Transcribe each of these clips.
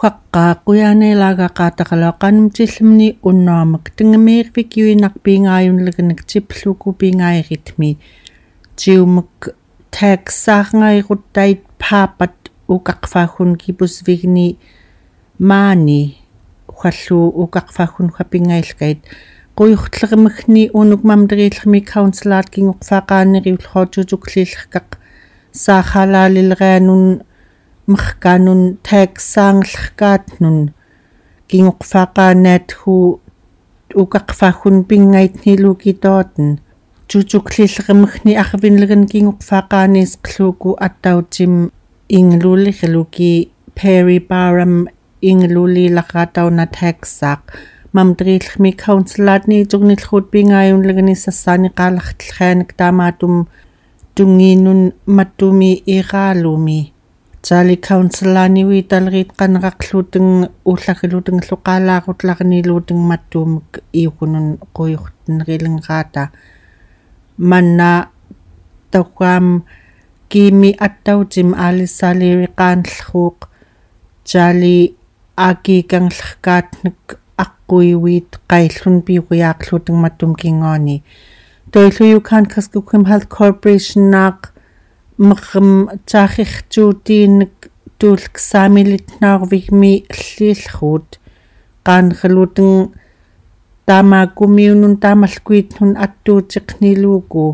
Huaqqaaquyaanilaagaqaataqaluaqaanum tillumni unnuamak tingameervik yuinarpiingaayunleganak tipluku piingaayiritmi tiumak taaksaarngairuttaит paapat uqaqfaaggun kipusvigni maani uallu uqaqfaaggun huapingailkait quyurtlermagni unuk mamteriillermi councilaat kingoqfaaqaaneriulluortutuklillerkaq saaxalaalilerianun merkaanun taaksaangellerkaatnun kingoqfaaqaanaathu uqaqfaaggun pingaitniluukitootn tutuklillermagni arvinleren kingoqfaaqaanisqluuku attautim inglulirluki Perry Barham inglulilaqatauna taaksaaq mamteriillermi councilaatni tugnillerut pingaayunlegani sassaaniqaalartellerianak taamaatum tungiinun mattumi iraalumi taali councilaaniwi taleriit qaneraqluteng ullagiluteng luqaalaarutlaqniluuteng mattuumek iukunun quyurtenerilengaata manna tauam kiimi attautim alissaaliiqaanlerruuq taali aakiikanglerkaatnek aqquiuit qaillun piuqiaaqluteng mattum kingaani toillu Yukon Kuskokwim Health Corporation naaq merrem taakhirtuutiinnek tuulksaamilitnaarvigmi alliillerruut qaangerluteng taamaakumiunun taamalkuitnun attuutiqniluuku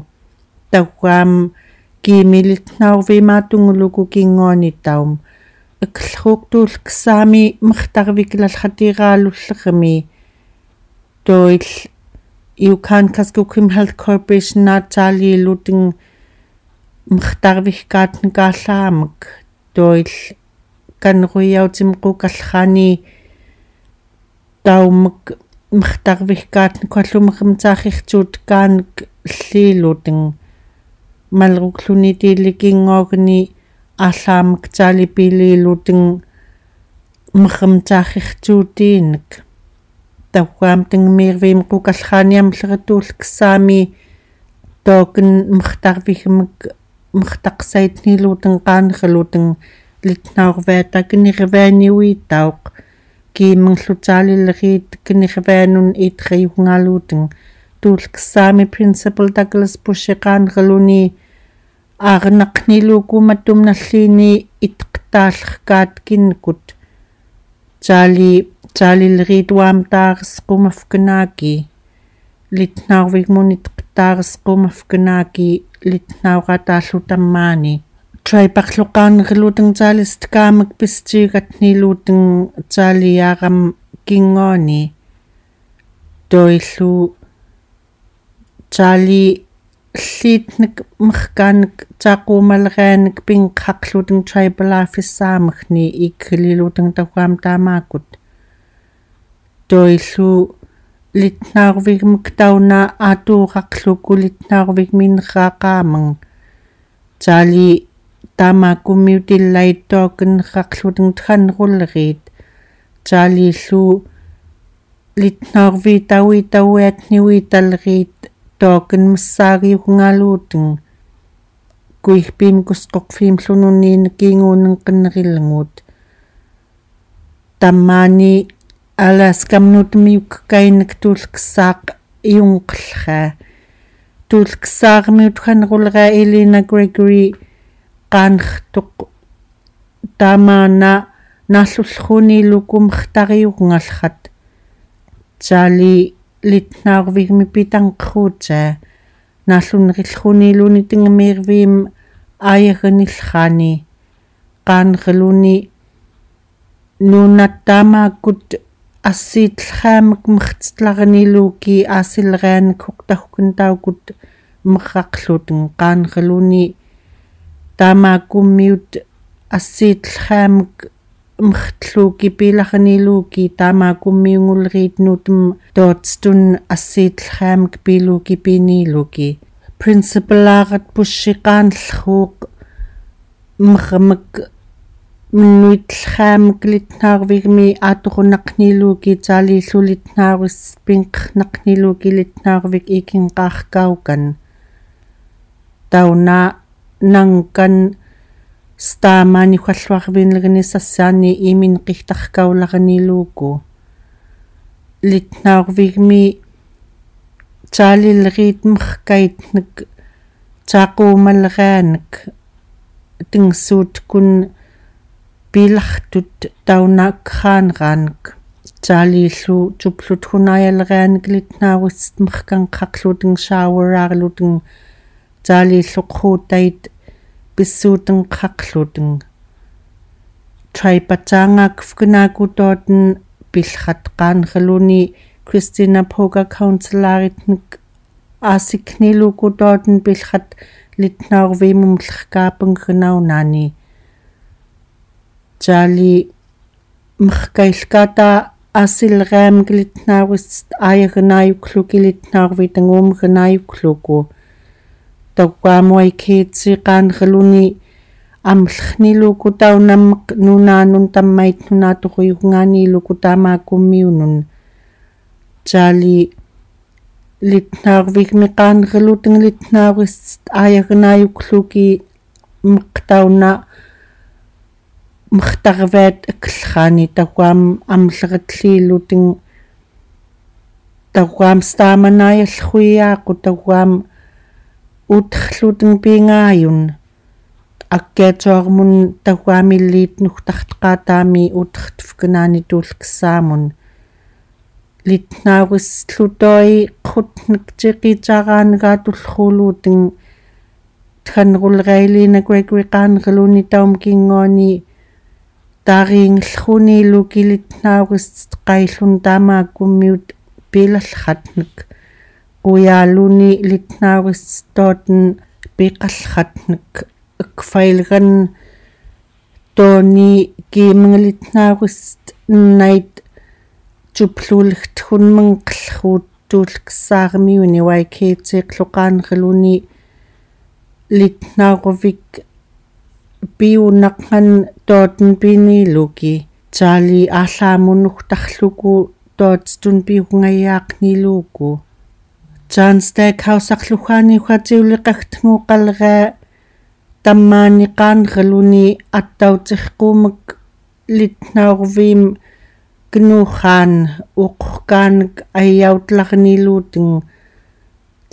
tauaam kiimilitnaarvimaatunguluku kinguanitaum akellerruuq tuulksaami mertarviklallatiraalullermi toil Yukon Kuskokwim Health Corporation naataaliiluteng mertarvigkaatnekaallaamак toil kanruiautim qukallerani taumak mertarvigkaatnek allumerem taakhirtuut kaanek alliiluteng malrukluni tiillikinguagni aalaamak taalipiliiluteng merem taakhirtuutiinek tauaam tangmiirviim qukalleraniam leratuulksaami tooken mertarvigmek mertaqsaitniiluteng qaanerluteng litnaarvaatakinirvaaniuittauq kiimmerlutaalilleriit kinirvaanun itriugnaaluuteng tuulksaami Principal Douglas Bushiqaanerluni aarenaqniluuku mattumnalliini itqtaallerkaat kinnekut taali taalilleriituaam taaresqumafkanaaki litnaarvigmun itqtaaresqumafkanaaki litnaaqataallutammaani traiparluqaanerluteng taalistkaamak pistiigatniluuteng taaliaaram kinguani toillu taali alliitnek merkaanek taaquumalerianek pinqqaqluteng tribal office-saamagni ikkililuteng tauaam taamaakut toillu litnaarvigmek tauna aatuuqaqluku litnaarvigminerraaqaamang taali taamaakummiutillait tookennerraqluteng thanrulleriit taaliillu litnaarvi taui tauiatniui talleriit tooken messaagiugnaaluuteng kuigpiim kusqoqfiim llununniin kinguunenqinnerillengut tammaani Alaskamnutmiukkainak tuulksaaq iunqellraa tuulksaarmiut khanrulera Elena Gregory qaanertoq taamaana naallullerruniiluku mertariugngallat taali litnaarvigmi pitanqerruutaa naallunnerillerruniiluni tingameerviim aayaganillerraani qaanerluni nuunattaamaakkut assiitelleraamak mertetlarniluuki aasilerianak huqtaggun taukut merraqluteng qaanerluni taamaakummiut assiitelleraamak mertluuki pilarniluuki taamaakummiunguleriit nuutem tootstun assiitelleraamak piluuki piniiluki principalaarat pussiqaanlerruuq mermak minnuitelleraamak litnaarvigmi aatoqunaqniluuki taaliillulitnaaris pinqernaqniluuki litnaarvik ikinqaarkaukan tauna nangkan Staamaani ualluarviinlerni sassaani iminqigtarkaularniluuku litnaorvigmi taalilleriit merkaitnek taaquumalleraanek tingsuutkun piilartut taunaakkraanraanek taaliillu tuplut hunajalleraanek litnaarussat merkanqqaqluteng showerarluteng taaliilluqquuttait pissuutenqqaqluteng traipataangaakfkenaakutooten pillrat qaanraluni Christina Poga councillaritnek aasikniluukutooten pillrat litnaorviimum lerkaapengenaunaani taali merkailkaata aasilleraamek litnaarussat aayagenaayukluki litnaorvi tanguumgenaayukluku taukkaamuaikiitsi qaanraluni amllerniluuku taunammeq nunaanun tammait nunaatoquyungaaniiluku taamaakummiunun taali litnaarvigmi qaanraluteng litnaarissat aayagenaayukluki meqtauna mertarvaat akllerraani taukaam amlleratliiluteng taukaam staamanaajallerruiaaqu taukaam uterluteng pingaayun akkiatuarmun taukaamilliit nugtarteqaataami utertufkenaani tuulkessaamun litnaarussllutoi qutnek tiqiitaraanagaatulleruluuteng thanrulerailiina Gregory qaanraluni taum kinguani taariingelleruniiluki litnaarussat qaillun taamaakkummiut piilallerratnek quyaaluni litnaarussatooten piqallerratnek akfailgan tooni kiimengelitnaarussat nnait tupluulegtgunmenqellerruut tuulkessaarmiuni waikeetiiqluqaanraluni litnaaruvik piunnaqngan tooten piniiluki taali aalaamunugtarluku tootstun piugngayaaqniluuku John Stackhouse-aqluggaani uatiuliqagtnguuqalleraa tammaani qaanraluni attautirquumak litnaorviim knuurraan uqorkaanek aijautellarniluuteng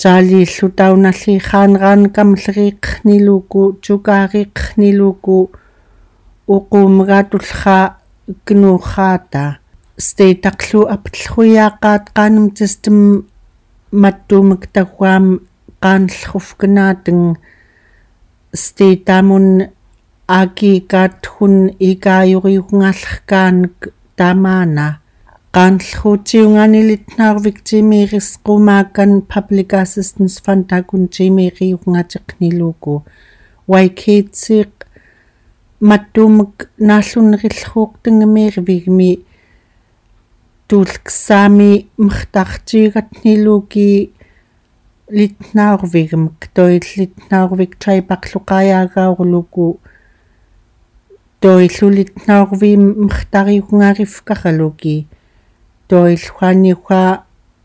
taaliillu taunalliirraaneraanак amleriiqerniluuku tukaariiqerniluuku uquumagaatullerraa knuurraata state-aqlu aptellerruiaaqaat qaanum tastam mattuumak taguaam qaanellerrufkenaateng state-aamun aakiikaatgun ikaajuriugnaallerkaanek taamaana qaanellerruutiungaani litnaarvik timiirisqumaakkan Public Assistance Fund takun timiiriugngateqniluuku waikeetsiiq mattuumak naallunerillerruuqtangamiirvigmi tuulkessaami mertartiigatniluuki litnaarvigmek toillitnaarvik traipaqluqajaagaorluku toillulitnaarviim mertariugngaarifkaraluki toilluaniuga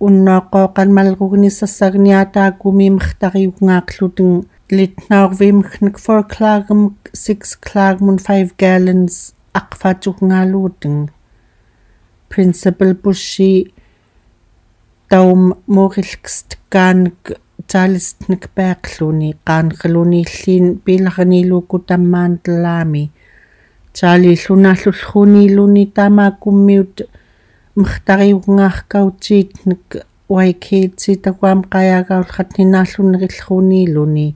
unnaaqooqanmallerugnissassagniataakumi mertariugngaaqluteng litnaarviimgnek 4 klaagmek 6 klaagmun 5 gallons aqfaatugnaaluuteng Principal Bushi taum morilkestkaanek taalistnek paaqluni qaanqaluniilliin pilarniluuku tammaan tallaami taaliillunaallullerruniiluni taamaakkummiut mertariugngaarkautiitnek waikeetsi taguam qajaagaullerrat ninaallunnerillerruniiluni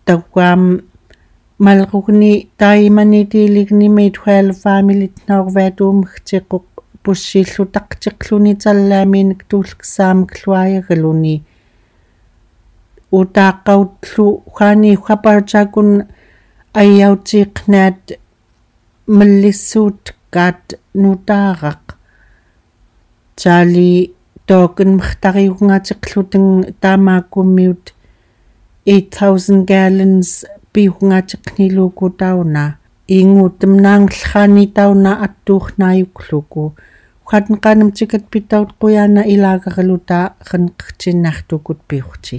taguam mallerugni taimanitiilignimi 12 familitnaorvaatuumagtiqoq pussillutaqtiqluni tallaamiinek tuulkessaamek luajagaluni utaaqqautlu uani uapartakun ajautiiqnaat mallissuutkaat nutaaraq taali tooken mertariugngateqluteng taamaakkummiut 8000 gallons piugngateqniluuku tauna inguutemnaangerraani tauna attuurnaayukluku uatenqaanam tikat pitaut quyaana ilaagarluta qanqertinnaartukut piurti.